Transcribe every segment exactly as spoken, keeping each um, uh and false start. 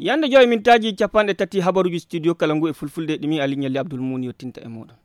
Yande joy mintaaji capanɗe tati habaruuji studio kala ngu e fulfulde ɗimi Ali Ñalli Abdul Muun yottinta e mooɗon.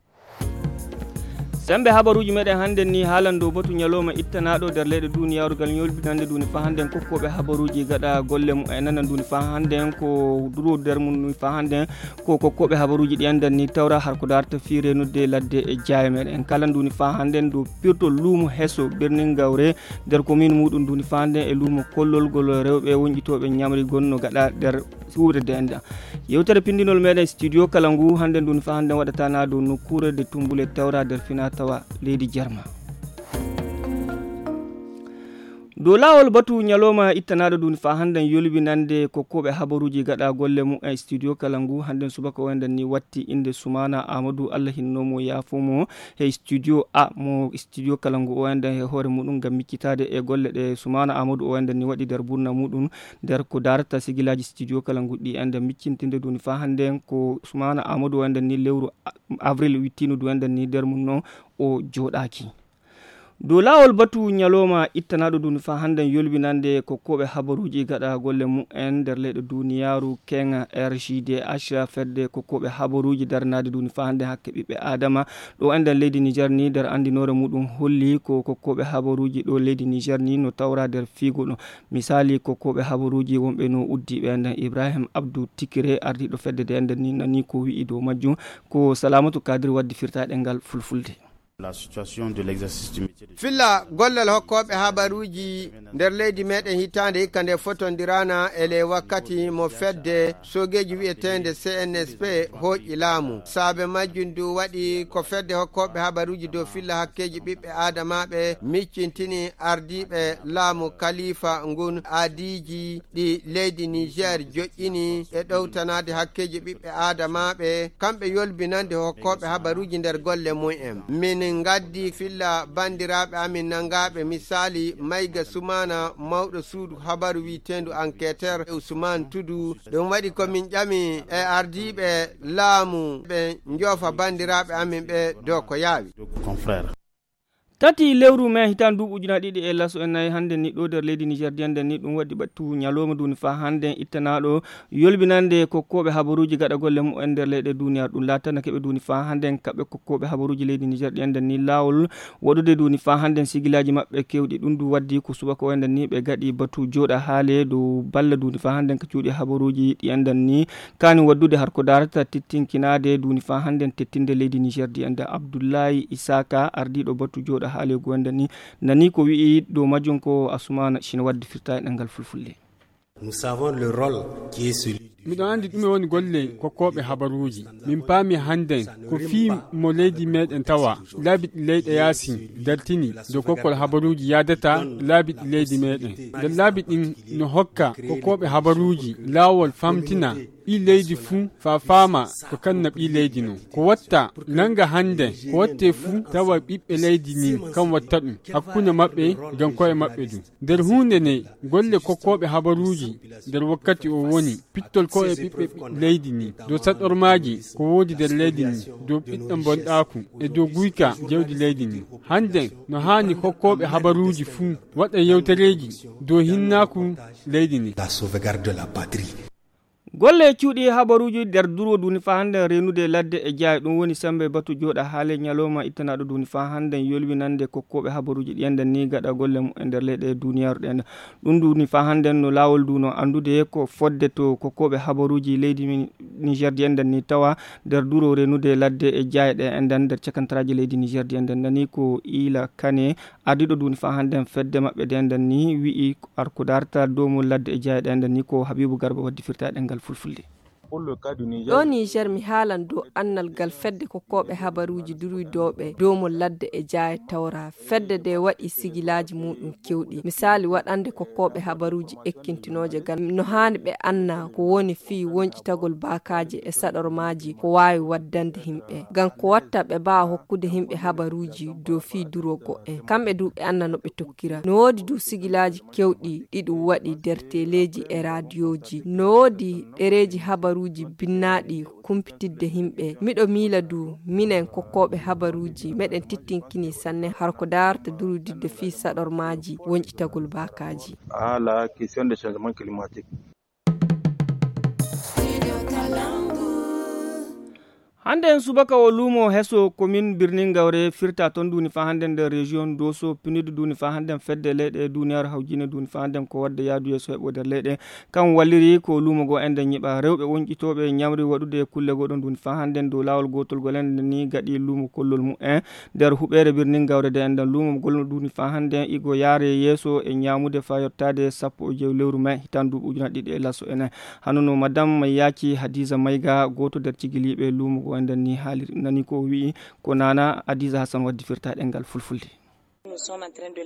Sembe habaruuji meɗen hannden ni haalan dow batu ñalooma ittanaaɗo nder leyɗe duniyaaru ngal ñolbinande duni fa hannden kokkooɓe habaruuji gaɗa golle mum e nanan duni fa hannden ko duro nder mum duni fa hannden ko kokkooɓe habaruuji ɗi anndan ni tawra har ko darta fii renudde ladde e jaaye meɗen en kala duni fa hannden dow pirtol luumo heso birnin gawre nder komin muɗum duni fa hannden e luumo kollol gol rewɓe wonƴitooɓe ñamri gonno gaɗa nder suuɗe denda. Yewtere pindinol meɗen studio kala ngu hannden duni fa hannden waɗata na dow nokkuure de tumbule tawra nder fina tawa leydi Jarma. Dow laawol batu ñalooma ittanaaɗo duni fa hannden yolbinande kokkooɓe habaruuji gaɗa golle mum e studio kala ngu hannden subaka o enɗen ni watti innde Sumaana Aamadu Allah hinno mo yaafo mo he studio A mo studio kala ngu o enɗen he hoore muɗum ngam miccitaade e golle ɗe Sumaana Aamadu o enɗen ni waɗi nder burna muɗum nder ko darata sigilaaji studio kala ngu ɗi enɗen miccintinde duni fa hannden ko Sumaana Aamadu o enɗen ni lewru a- avril wittino du enɗen ni nder mum no o jooɗaaki. Dow laawol batu ñalooma ittanaaɗo duni fa hannden yolbinande kokkooɓe habaruuji gaɗa golle mum en nder leyɗe duniyaaru kenga R G D H fedde kokkooɓe habaruuji daranaade duni fa hannden hakke ɓiɓɓe aadama ɗo enɗen leydi Nijar ni nder anndinoore muɗum holli ko kokkooɓe habaruuji ɗo leydi Nijar ni no tawra nder fiigo ɗo. Misaali kokkooɓe habaruuji wonɓe no uddiiɓe enɗen Ibrahim Abdou Tikire ardiiɗo fedde de enɗen ni nani ko wi'i dow majjum ko Salamatu Kadir waddi firtaaɗe ngal fulfulde. La situation de l'exercice du métier de Filla gollal hokkooɓe habaruuji nder leydi meɗen hitaande hikka nde fotondiraana e ley wakkati mo fedde soogeeji wi'eteende C N S P hooƴi laamu. Saabe majjum du waɗi ko fedde hokkooɓe habaruuji dow filla hakkeeji ɓiɓɓe aadamaaɓe miccintini ardiiɓe laamu kalifa ngun aadiiji ɗi leydi Niger joƴƴini e ɗowtanaade hakkeeji ɓiɓɓe aadamaaɓe, kamɓe yolbinande hokkooɓe habaruuji nder golle mum en. Min ngaddi filla banndiraaɓe amin nanngaaɓe misaali Mayga Sumaana, mawɗo suudu habaru wi'eteendu Enquêteur, e Usmaan Tudu. Ɗum waɗi ko min ƴami e ardiiɓe laamu ɓe njoofa banndiraaɓe amin ɓe dow ko yaawi. Confrère. Tati lewru mai hitan duuɓi ujunaaji ɗiɗi e laso e nayi hannde ni ɗo nder leydi Niger diyan nden ni ɗum waɗi ɓattu ñalooma duni fa hannde ittanaaɗo yolbinande kokkooɓe habaruuji gaɗa golle mumen nder leyɗe duniyaaru ɗum laatanake ɓe duni fa hannde kaɓɓe kokkooɓe habaruuji leydi Niger diyan nden ni laawol waɗude duni fa hannde sigilaaji maɓɓe kewɗi ɗum du waddi ko subaka waynden ni ɓe gaɗi batu jooɗa haale dow balla duni fa hannde ka cuuɗi habaruuji ɗiyan nden ni kani waddude har ko darata tettinkinaade duni fa hannde tettinde leydi Niger diyan nden Abdullahi Isaka ardiiɗo batu jooɗa haale gonɗe ni nani ko wi'i dow majjum ko Asumana Chine wadde firta e ɗemngal fulfulde. Nous savons le rôle qui est celui du miɗo anndi ɗume woni golle kokkooɓe habaruuji. Min paami hannden ko fii mo leydi meɗen tawa laabi ɗi leyɗe yaasin dartini dow kokkol habaruuji yaadata laabi ɗi leydi meɗen. Nder laabi ɗin no hokka kokkooɓe habaruuji laawol famtina ɓii leydi fuu faa faama ko kanna ɓii leydi non. Ko watta nannga hannde ko wattee fuu tawa ɓiɓɓe leydi ndin kan watta ɗum hakkunde maɓɓe ngam ko'e maɓɓe du. Nder huunde nde golle kokkooɓe habaruuji nder wakkati o woni pittol ko'e ɓiɓɓe leydi ndin dow saɗormaaji ko woodi nder leydi ndin dow ɓiɗɗo bonɗaaku e dow guyka jawdi leydi ndin. Hannden no haani kokkooɓe habaruuji fuu waɗa yewtereeji dow hinnaaku leydi ndin. La sauvegarde de la patrie. Golle cuuɗi habaruuji nder duro duni fa hannde reenude ladde e jaay ɗum woni sembe batu jooɗa haale ñalooma ittanaaɗo duni fa hannde yolwinande kokkooɓe habaruuji ɗiyan nden ni gaɗa golle mumen nder leyɗe duniyaaru ɗen. Ɗum duni fa hannde no laawol du no anndude ko fodde to kokkooɓe habaruuji leydi Niger diyan nden ni tawa nder duro reenude ladde e jaay ɗe enden nder cakantaraaji leydi Niger diyan nden nani ko Ila Kane ardiiɗo duni fa hannde fedde maɓɓe diyan nden ni wi'i ar ko darta doomol ladde e jaay ɗe enden ni ko Habibu Garba waddi firta e ɗemngal fulfulde. Ɗo Niger mi haalan dow annal ngal fedde kokkooɓe habaruuji durwidooɓe doomol ladde e jaay tawra. Fedde nde waɗi sigilaaji muɗum kewɗi. Misaali waɗande kokkooɓe habaruuji ekkintinooje ngal no haani ɓe anna ko woni fii wonƴitagol baakaaji e saɗormaaji ko waawi waddande himɓe. Ngam ko watta ɓe mbaawa hokkude himɓe habaruuji dow fii duro go'en. Kamɓe du ɓe anna no ɓe tokkira. No woodi du sigilaaji kewɗi ɗi ɗum waɗi nder teleeji e raadiyooji. No woodi ɗereeji habaruuji binnaaɗi kumpitidde himɓe. Miɗo miila du minen kokkooɓe habaruuji meɗen tittinkini sanne har ko darta durudidde fii saɗormaaji wonƴitagol baakaaji. Ah, la question de changement climatique. Hannde en subaka o luumo heso komin birnin gawre firta toon duuni faa hannden nder région doso pinid duuni faa hannden fedde leyɗe duuniyaaru hawjine duuni faa hannden ko waɗde yaadu yeeso heɓo nder leyɗe. Kam walliri ko luumo goo enɗen ñiɓa rewɓe woñƴitooɓe ñamri waɗude kulle goo ɗoon duuni faa hannden dow laawol gootol gol enɗen ni gaɗi luumo kollol mumen nder huɓeere birnin gawre de enɗen luumo gol duuni faa hannden igo yaare yeeso e ñaamude faa yottaade sappo e jowi lewru mai hitaan duuɓi ujunaaji ɗiɗi e laso enen. Hano no madame yaaci hadiza mayga gooto nder cigiliiɓe luumo goo enɗen ni haaliri nani ko o wi'i. Ko nana hadiza hasan waddi firta ɗengal fulfulde.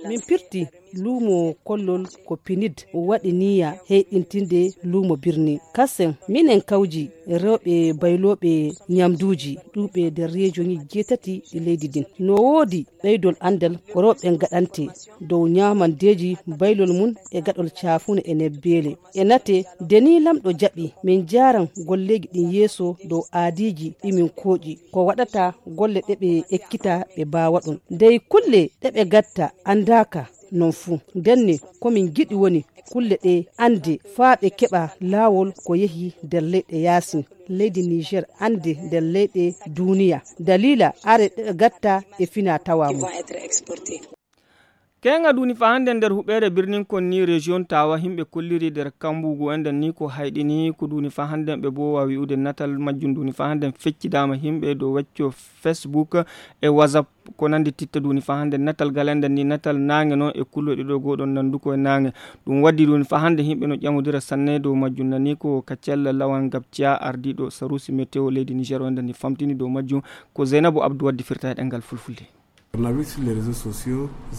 Min pirti luumo kollol ko pinid waɗi niya heyɗintinde luumo birni kasen minen kawji rewɓe baylooɓe ñamduuji ɗuuɓe nder reejoŋi jeetati ɗi leydi ndin no woodi ɓeydol anndal ko rewɓe ngaɗante dow ñaamandeeji baylol mum e gaɗol caafune e nebbeele e nate de ni lamɗo jaɓi min njaaran golleeji ɗin yeeso dow aadiiji ɗi min kooƴi ko waɗata golle ɗe ɓe ekkita ɓe mbaawa ɗum dey kulle ɗe ɓe gatta anndaaka non fuu ndenne ko min ngiɗi woni kulle ɗe annde faa ɓe keɓa laawol ko yehi nder leyɗe yaasin leydi niger annde nder leyɗe duuniya daliila are ɗe ɓe gatta e fina tawa mum. Keeŋa duuni faa hannden nder huɓeere birnin kon ni rejiyon tawa himɓe kolliri nder kambugu enɗen ni ko hayɗini ko duuni faa hannden ɓe boowa wi'ude natal majjum duuni faa hannden feccidaama himɓe dow wecco facebook e whatsapp ko nanndi titta duuni faa hannden natal gal enɗen ni natal naange noon e kulloy ɗiɗo gooɗon nanndu ko e naange. Ɗum waddi duuni faa hannden himɓe no ƴamodira sanne dow majjum nani ko ka cella lawan gabciya ardiiɗo sarusi météo leydi niger o enɗen ni famtini dow majjum. Ko zeynabu abdou waddi firta e ɗemngal fulfulde.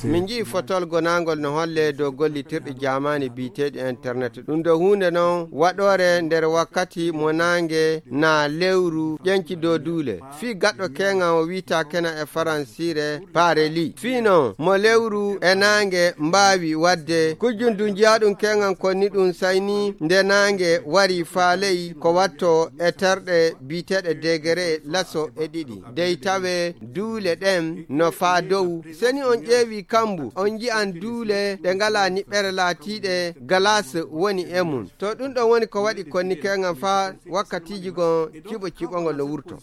Min nji'i fotol gonaangol no holle dow gollitirɗi jaamaani biyeteeɗi internet ɗum ɗo huunde non waɗoore nder wakkati mo naange na lewru ƴenci dow duule fii gaɗɗo keeŋa o wi'ata kena e faransiire pareli fii non mo lewru e naange mbaawi waɗde kujjun du nji'aɗum keeŋan konni ɗum sayni nde naange wari faa ley ko watto e terɗe biyeteeɗe degere laso e ɗiɗi dey tawe duule ɗen no faa dow seni on ƴeewi kambu on nji'an duule ɗe ngalaa niɓɓere laatiiɗe galas woni e mum to ɗum ɗon woni ko waɗi konnikeeŋan faa wakkatiiji gon ciɓo ciɓongol no wurto.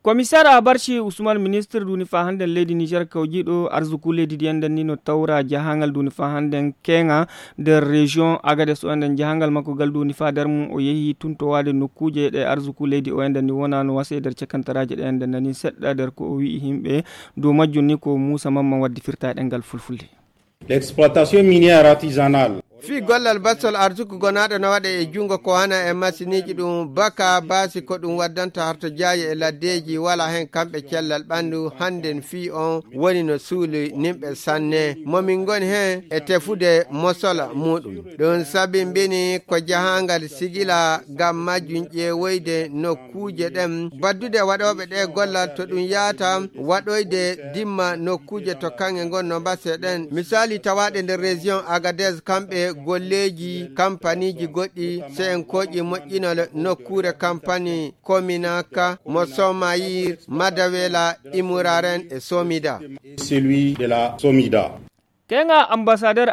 Komiseer abarci usman ministre duuni faa hannden leydi niger kawjiiɗo arsuku leydi ndi enɗen ni no tawra jahaangal duuni faa hannden keeŋa nder région agades o enɗen jahaangal makko gal duuni faa nder mum o yehi tuntowaade nokkuuje ɗe arsuku leydi o enɗen ni wonaa no wasa e nder cakantaraaji ɗe enɗen nani seɗɗa nder ko o wi'i himɓe dow majjum ni ko muusa mamman waddi firta e ɗemngal fulfulde. L'exploitation minière artisanale. Fii gollal bassol arsuku gonaaɗo no waɗa e junngo ko hana e masiniiji ɗum baka baasi ko ɗum waddanta harto jaayi e laddeeji wala heen kamɓe cellal ɓanndu hannden fii on woni no suuli nimɓe sanne mo min ngoni heen e tefude mosola muuɗum ɗum sabimbini ko jahaangal sigila ngam majjum ƴeewoyde nokkuuje ɗen baddude waɗooɓe ɗe gollal to ɗum yaata waɗoyde dimma nokkuuje to kaŋŋe ngon no mbase ɗen misaali tawaaɗe nder région agades kamɓe golleeji kampaniiji goɗɗi se en kooƴi moƴƴinol nokkuure kampani kominaka mo somayir madawela imuraren e somida. Celui de la somida. Keeŋa ambassadeur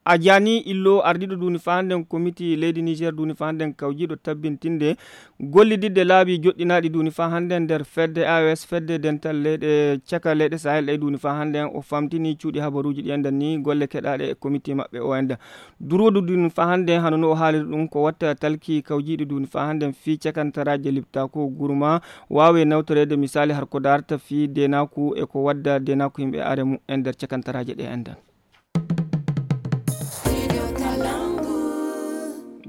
a jani illo ardiiɗo duuni faa hannden komiti leydi niger duuni faa hannden kawjiiɗo tabbintinde gollididde laabi joɗɗinaaɗi duuni faa hannden nder fedde aos fedde dental leyɗe caka leyɗe sahel ɗe duuni faa hannden o famtini cuuɗi habaruuji ɗi enɗen ni golle keɗaaɗe e komiti maɓɓe o enɗen. Durwoodu duuni faa hannden hano no o haaliri ɗum ko watta talki kawjiiɗi duuni faa hannden fii cakantaraaje liptaako gurma waawe nawtoreede misaali har ko daarta fii deenaaku e ko wadda deenaaku yimɓe are mumen nder cakantaraaje ɗe enɗen.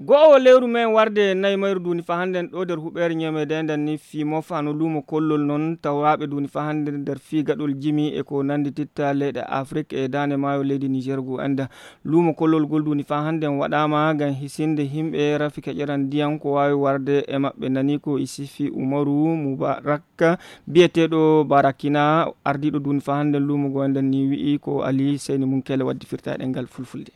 Go'o lewru men warde nayi mayru duuni faa hannden ɗo nder huɓeere ñemeede enɗen ni fii mofa no luumo kollol non tawraaɓe duuni faa hannden nder fii gaɗol jimi e ko nanndi titta leyɗe afrik e daande maayo leydi niger gu enɗen. Luumo kollol gol duuni faa hannden waɗaama ngam hisinde himɓe rafi keƴeran ndiyan ko waawi warde e maɓɓe nani ko isifi umaru mubarak biyeteeɗo barakina ardiiɗo duuni faa hannden luumo goo enɗen ni wi'i ko ali seyni mum kele waddi firta e ɗemngal fulfulde.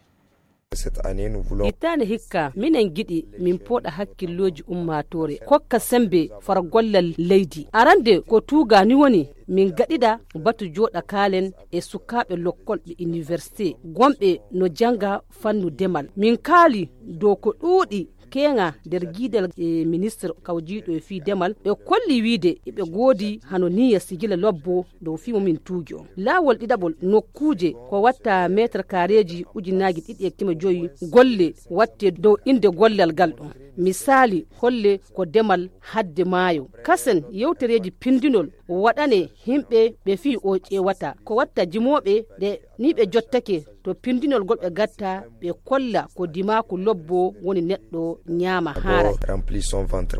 Ittaande hikka minen ngiɗi min pooɗa hakkillooji ummaatoore kokka semmbe far gollal leydi arande ko tuuga ni woni min gaɗiɗa batu jooɗa kaalen e sukaaɓe lokkol ɓe iniwersite gomɓe no jannga fannu demal min kaali dow ko ɗuuɗi keeŋa nder giidal e ministre kawjiiɗo e fii demal, ɓe kolli wiide eɓe goodi hano niya sigila lobbo dow fii mo min tuugi on. Laawol ɗiɗaɓol nokkuuje ko watta meetar kaareeji ujunaaji ɗiɗi e keme joyi golle watte dow innde gollal ngal ɗon. Misaali, holle ko demal hadde maayo. Kasen yewtereeji pindinol waɗane himɓe ɓe fii o ƴeewata. Ko watta jimooɓe ɗe ni ɓe jottake to pindinol gol ɓe gatta ɓe kolla ko dimaaku lobbo woni neɗɗo ñaama haara. Rempli son ventre.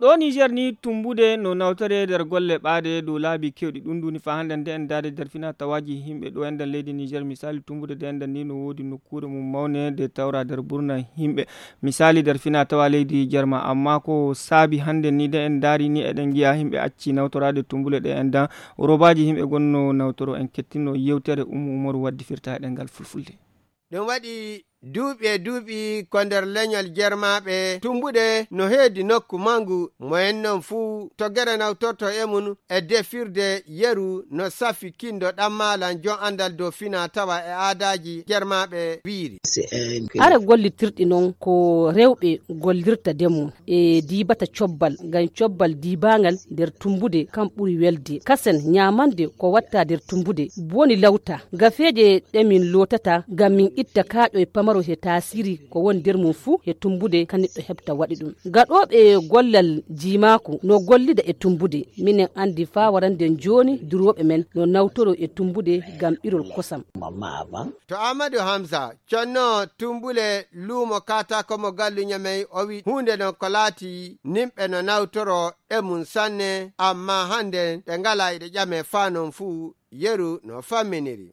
Ɗo Niger ni tumbude no nawtore nder golle ɓaade dow laabi kewɗi. Ɗum duni fa hannde nde en daade nder fina tawaaji himɓe ɗo enden leydi Niger. Misali tumbude nde enden ni no woodi nokkuure mum mawne nde tawra nder burna himɓe. Misali nder fina tawa leydi Jerma, amma ko saabi hannde ni nde en daari ni eɗen ngiya himɓe acci nawtoraade tumbule ɗe enden. Robaji himɓe gonno nawtoro en kettino yewtere Ummu Umaru waddi firta e ɗengal fulfulde. Ɗum waɗi duuɓi e duuɓi ko nder leñol Jermaaɓe tumbuɗe no heedi nokku manngu, mo en non fuu to gere nawtorto e mum e defirde yeru no safi kindo ɗammalan jon anndal dow fina tawa e aadaaji Jermaaɓe wiiri. Ara gollitirɗi non ko rewɓe gollirta ndemum e diibata cobbal, ngam cobbal diibaangal nder tumbude kam ɓuri welde. Kasen ñaamande ko watta nder tumbude, boni lawta. Gafeeje ɗe min lootata ngam min itta kaaƴoy pamaro he taasiri ko woni nder mum fuu he tumbude ka neɗɗo heɓta waɗi ɗum. Gaɗooɓe gollal jiimaaku no gollida e tumbude. Minen anndi faa warande jooni durooɓe men no nawtoro e tumbude ngam ɓirol kosam. To Amadou Hamza, conno tumbule luumo kaataako mo gallu Ñamey, o wi huunde non ko laati nimɓe no nawtoro e mum sanne, amma hannde ɗe ngala eɗe ƴame faa non fuu yeru no famminiri.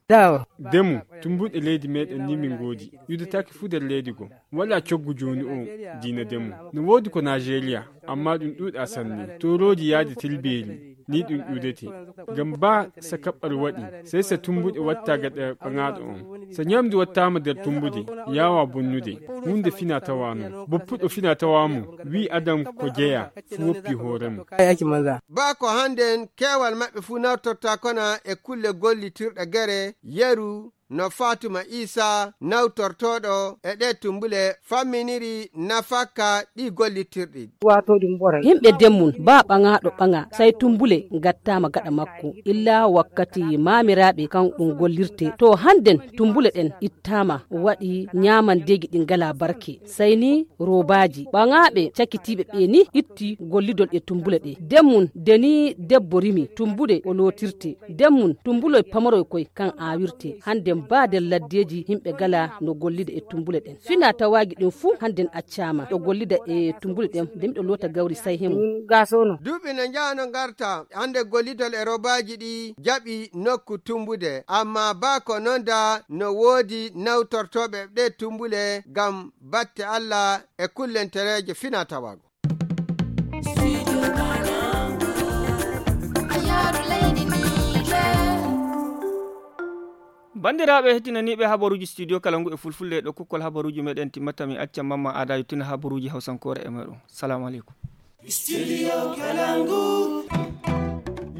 Demu, tumbuɗe leydi meɗen ni min ngoodi. Yudataake fuu nder leydi goo. Wala coggu jooni o diina demu. No woodi ko Nigeria, amma ɗum ɗuuɗa sanne. Toorooji yaade tilbeeri, ni ɗum ɗuudete. Ngam baa sa kaɓɓal waɗi, sey sa tumbuɗe watta gaɗa ɓaŋaaɗo on. Sa ñamdu wattaama nder tumbude, yaawa bonnude. Huunde fina tawa non. Boppuɗo fina tawa mo, wi adam ko jeya, fu woppi hoore mum. Baa ko hannden keewal maɓɓe fuu nawtorta kona e kulle gollitirɗe gere, yeru, no Fatuma Isa nawtortooɗo e ɗee tumbule famminiri nafakka ɗi gollitirɗi. Yimɓe demmun, baa ɓaŋaaɗo ɓaŋa, sey tumbule ngattaama gaɗa makko, illa wakkati maamiraaɓe kan ɗum gollirte. To hannden tumbule ɗen ittaama, waɗi ñaamandeeji ɗi ngalaa barke. Sey ni roobaaji. Ɓaŋaaɓe cakitiiɓe ɓe ni itti gollidol e tumbule ɗe. Demmun, de ni debbo rimi, tumbude o lootirte. Demmun, tumbuloy pamaroy koy kan aawirte. Hannden baa nder laddeeji yimɓe gala no gollida e tumbule ɗen. Fina tawaagi ɗin fuu hannden accaama. Ɗo gollida e tumbule ɗen, de miɗo loota gawri say hemu. Duuɓi no njaha no ngarta, hannde gollidol e roobaaji ɗi jaɓi nokku tumbude. Amma baa ko non da no woodi nawtortooɓe ɗe tumbule ngam batte Allah e kullentereeje fina tawaago. Banndiraaɓe heɗtinaniiɓe habaruuji studio kala ngu e fulfulde, ɗo kukkol habaruuji meɗen timmata, mi acca Mamma Aada yottina habaruuji hawsankoore e meɗen. Salamu aleykum. Studio Kalangu.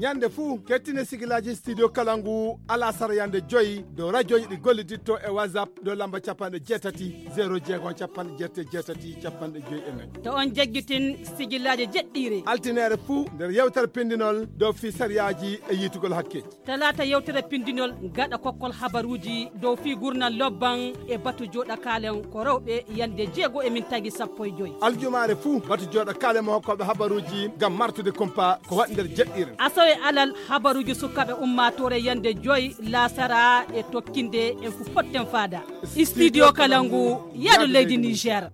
Ñande fuu, kettine sigilaaji Studio Kalangu alasara yande joyi dow rajooji ɗi golliditto e WhatsApp dow lamba capanɗe jeetati, zero jeego, capanɗe jeetati, capanɗe joyi e nayi. To on jaggitin sigilaaji jeɗɗiire. Altineere fuu nder yewtere pindinol dow fii sariyaaji e yiitugol hakkeeji. Talaata yewtere pindinol gaɗa kokkol habaruuji dow fii gurnal lobban e batu jooɗa kaalen ko rewɓe yande jeego e min tagi sappo e joyi. Aljumaare fuu batu jooɗa kaalen mo hokkooɓe habaruuji ngam martude kumpa ko waɗi nder jeɗɗiire. Asawe alal habaruuji sukaaɓe ummaatoore yande joyi laasara e tokkinde en fu potten faada. Studio Kalangu, yaadu leydi Niger.